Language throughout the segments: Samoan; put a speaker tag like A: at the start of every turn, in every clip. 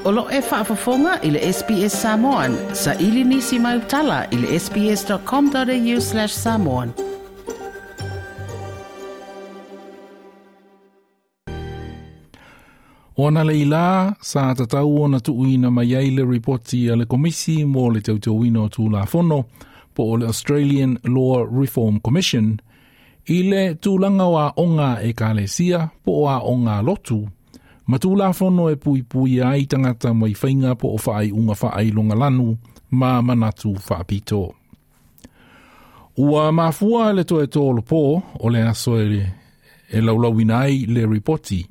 A: O lo e faafofoga i le SBS Samoan. Sa ili nisi mai utala i le sbs.com.au/samoan.
B: Ona le ila sa tatau ona tuuina mai ai le ripoti a le Komisi mo le Teuteuina o Tulafono po o le Australian Law Reform Commission i le tulaga o aoga ekalesia po o aoga lotu ma tulafono e puipuia ai tagata mai faiga po o faaiuga faailoga lanu ma manatu faapito. Ua mafua le toe tolopo o le aso e, e laulauina ai le ripoti,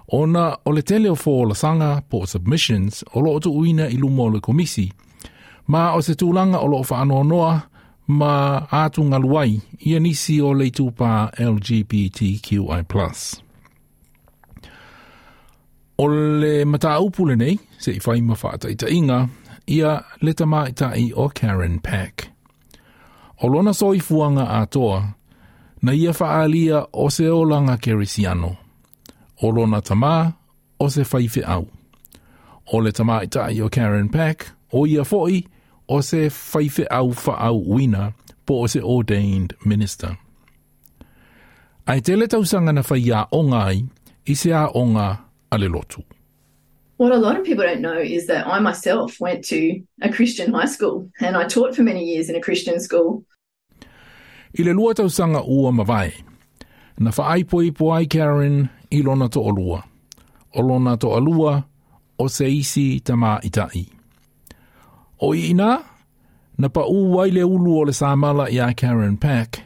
B: ona o le tele o folasaga po o submissions o loo tuuina i luma o le komisi, ma o se tulaga o loo faanoanoa ma atugalu ai ia nisi o le itupa LGBTQI+. O le mataupu lenei, se i fai ma faataitaiga, ia le tamaitai o Karen Pack. O lona soifuaga atoa, na ia faaalia o se olaga kerisiano. O lona tamā, o se faifeau. O le tamaitai o Karen Pack, o ia foi, o se faifeau faauuina po o se ordained minister. Ae tele tausaga na faiaoga ai i se aoga a le lotu.
C: What a lot of people don't know is that I myself went to a Christian high school and I taught for many years in a Christian school.
B: I le 2 tausaga ua mavae, na faaipoipo ai Karen i lona toalua. O lona toalua o se isi tamaitai. O i ina, na paū ai le ulu o le samala iā Karen Pack,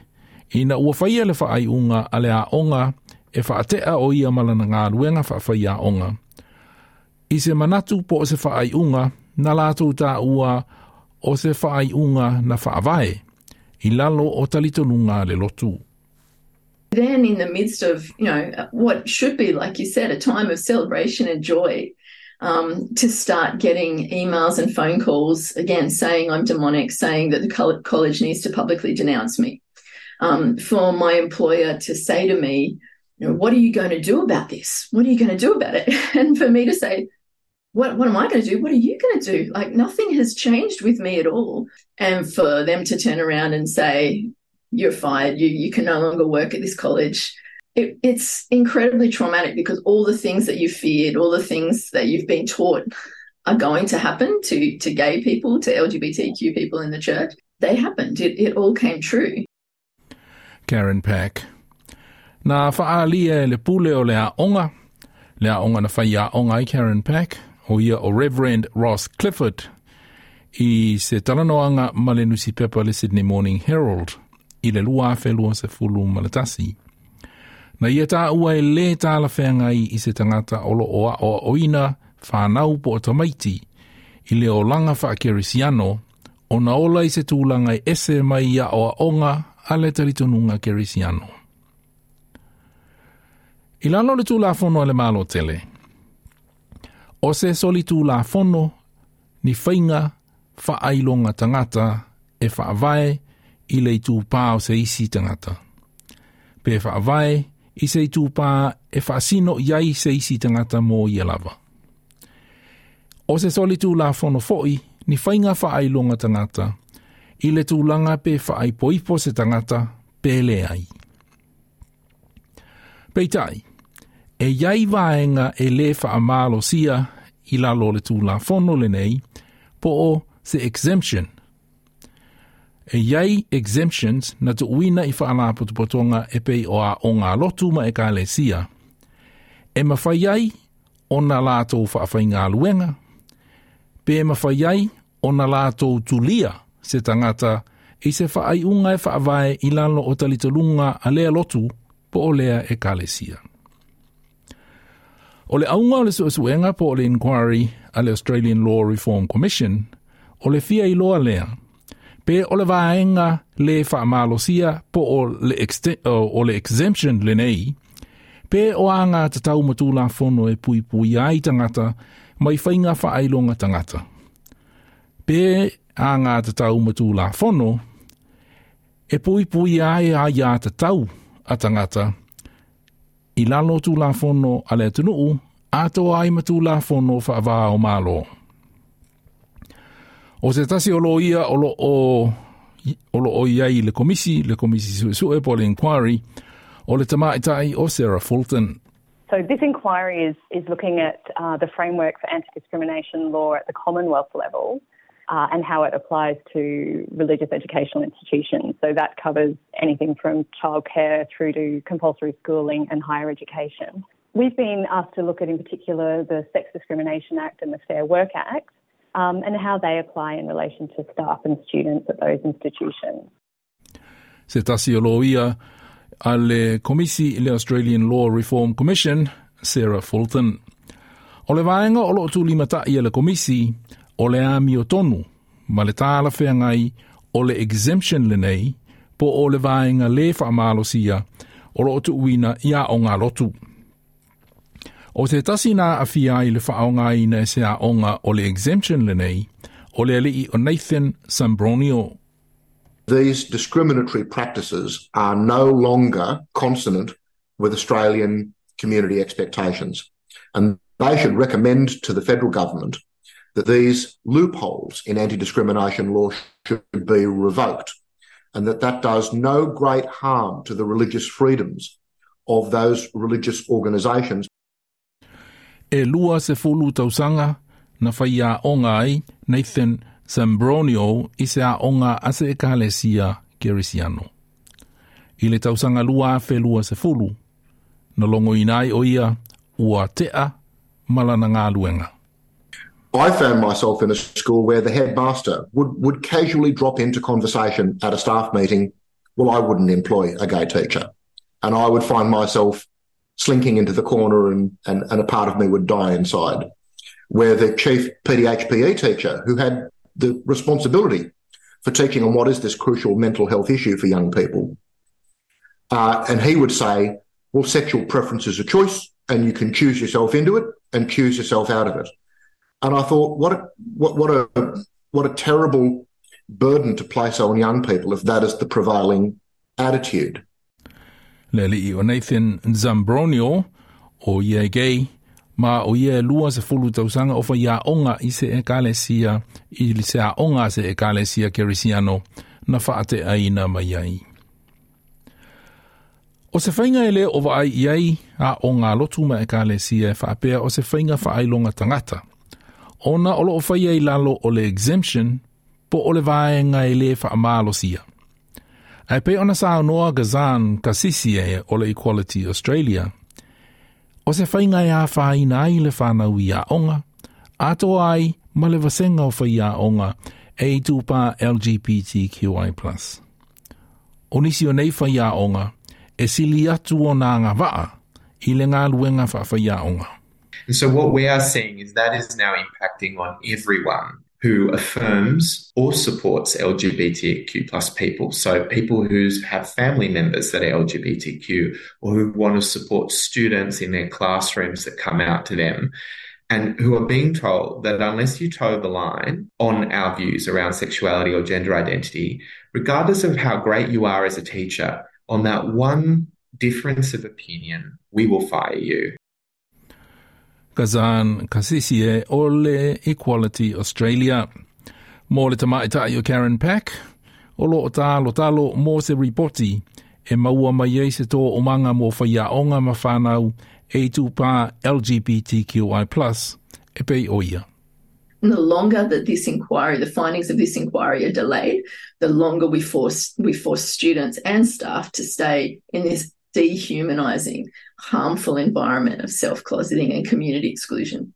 B: ina ua faia le faaiuga a le aoga e faatea o ia ma lana galuega faafaiaoga. I se manatu po o se faaiuga na latou taua o se faaiuga na faavae, i lalo o talitonuga a le lotu.
C: Then in the midst of, you know, what should be, like you said, a time of celebration and joy, to start getting emails and phone calls, again, saying I'm demonic, saying that the college needs to publicly denounce me. For my employer to say to me, you know, what are you going to do about this? What are you going to do about it? And for me to say, what am I going to do? What are you going to do? Like, nothing has changed with me at all. And for them to turn around and say, you're fired, you can no longer work at this college. It's incredibly traumatic because all the things that you feared, all the things that you've been taught are going to happen to gay people, to LGBTQ people in the church, they happened. It all came true.
B: Karen Pack. Na faaalia e le pule o le aoga, le aoga na faiaoga ai Karen Pack, o ia o Reverend Ross Clifford, i se talanoaga ma le nusipepa le Sydney Morning Herald i le 2021. Na ia taua e lē talafeagai i se tagata o loo aoaoina fanau po o tamaiti i le olaga faakerisiano ona ola i se tulaga e ese mai i aoaoga a le talitonuga kerisiano. I lalo le tulafono a le Malo tele, o se solitulafono ni faiga faailoga tagata e faavae i le itupā o se isi tagata. Pe faavae i se itupā e faasino i ai se isi tagata mo ia lava. O se solitulafono foi ni faiga faailoga tagata i le tulaga pe faaipoipo se tagata pe leai. Peitai, e iai vaega e lē faamalosia i lalo o le tulafono lenei po o se exemption. E iai exemptions na tuuina i faalapotopotoga e pei o aoga lotu ma ekalesia. E mafai ai ona latou faafaigaluega, pe mafai ai ona latou tulia se tagata i se faaiuga e faavae i lalo o talitonuga a lea lotu po o lea ekalesia. O le auga o le suesuega po o le inquiry a le Australian Law Reform Commission, o le fia iloa lea, pe o le vaega lē faamalosia po o le exemption lenei, pe o agatatau ma tulafono e puipuia ai tagata mai faiga faailoga tagata. Pe agatatau ma tulafono e puipuia ai aiatatau a tagata i lalo tulafono a le atunuu Atoa ai ma Tulafono faava-o-Malo. O se tasi o loia o lo o i ai le komisi, le komisi suesue po le inquiry, o le tamaitai o Sarah Fulton.
D: So this inquiry is looking at the framework for anti-discrimination law at the Commonwealth level and how it applies to religious educational institutions. So that covers anything from childcare through to compulsory schooling and higher education. We've been asked to look at in particular the Sex Discrimination Act and the Fair Work Act and how they apply in relation to staff and students at those institutions.
B: Se tasi o loia a le Komisi le Australian Law Reform Commission, Sarah Fulton. O le vaega o loo tulimata'i e le Komisi, o le amiotonu, ma le talafeagai o le exemption lenei, po o le vaega lē faamalosia o loo tuuina i aoga lotu. O se tasi na aafia ai le faaaogaina e se aoga o le exemption lenei, o le alii o Nathan Zambronio.
E: These discriminatory practices are no longer consonant with Australian community expectations. And they should recommend to the federal government that these loopholes in anti-discrimination law should be revoked, and that that does no great harm to the religious freedoms of those religious organisations.
B: E 20 tausaga na faiaoga ai Nathan Zambronio i se aoga a se ekalesia Kerisiano. I le tausaga 2020, na logoina ai o ia ua tea ma lana galuega.
E: I found myself in a school where the headmaster would casually drop into conversation at a staff meeting, well, I wouldn't employ a gay teacher. And I would find myself slinking into the corner and a part of me would die inside. Where the chief PDHPE teacher, who had the responsibility for teaching on what is this crucial mental health issue for young people, and he would say, well, sexual preference is a choice and you can choose yourself into it and choose yourself out of it. And I thought, what a terrible burden to place on young people if that is the prevailing attitude.
B: Le alii o Nathan Zambronio o ia gay, ma o ia 20 tausaga o faiaoga i se ekalesia, i se aoga se ekalesia Kerisiano na faateaina mai ai. O se faiga e lē o vaai i ai aoga lotu ma ekalesia e faapea o se faiga faailoga tagata. Ona o loo faia i lalo o le exemption po o le vaega e lē faamalosia. Ae pei ona saunoa Ghazan Kassissieh o le Equality Australia, o se faiga e afaina ai le fanau i aoga, atoa ai ma le vasega o faiaoga e itupa LGBTQI+. O nisi o nei faiaoga e sili atu ona agavaa i le galuega faafaiaoga.
F: And so what we are seeing is that is now impacting on everyone who affirms or supports LGBTQ plus people. So people who have family members that are LGBTQ or who want to support students in their classrooms that come out to them and who are being told that unless you toe the line on our views around sexuality or gender identity, regardless of how great you are as a teacher, on that one difference of opinion, we will fire you.
B: Ghazan Kassissieh o le Equality Australia. Mo le tamaitai o Karen Pack, o loo talotalo mo se ripoti e maua mai ai se toomaga mo faiaoga ma fanau e itupa LGBTQI+, e pei o ia.
C: And the longer that this inquiry, the findings of this inquiry are delayed, the longer we force students and staff to stay in this dehumanizing, harmful environment of self-closeting and community exclusion.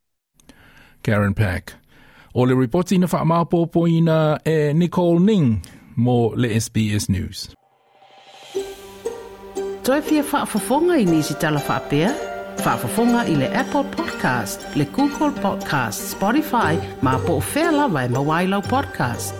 B: Karen Pack. O le ripoti na whaamapopoina e Nicole Ning mo le SBS News.
A: Toe fia faafofoga i nisi tala faapea? Faafofoga i le Apple Podcast, le Google Podcast, Spotify, ma po o fea lava e maua ai lau podcast.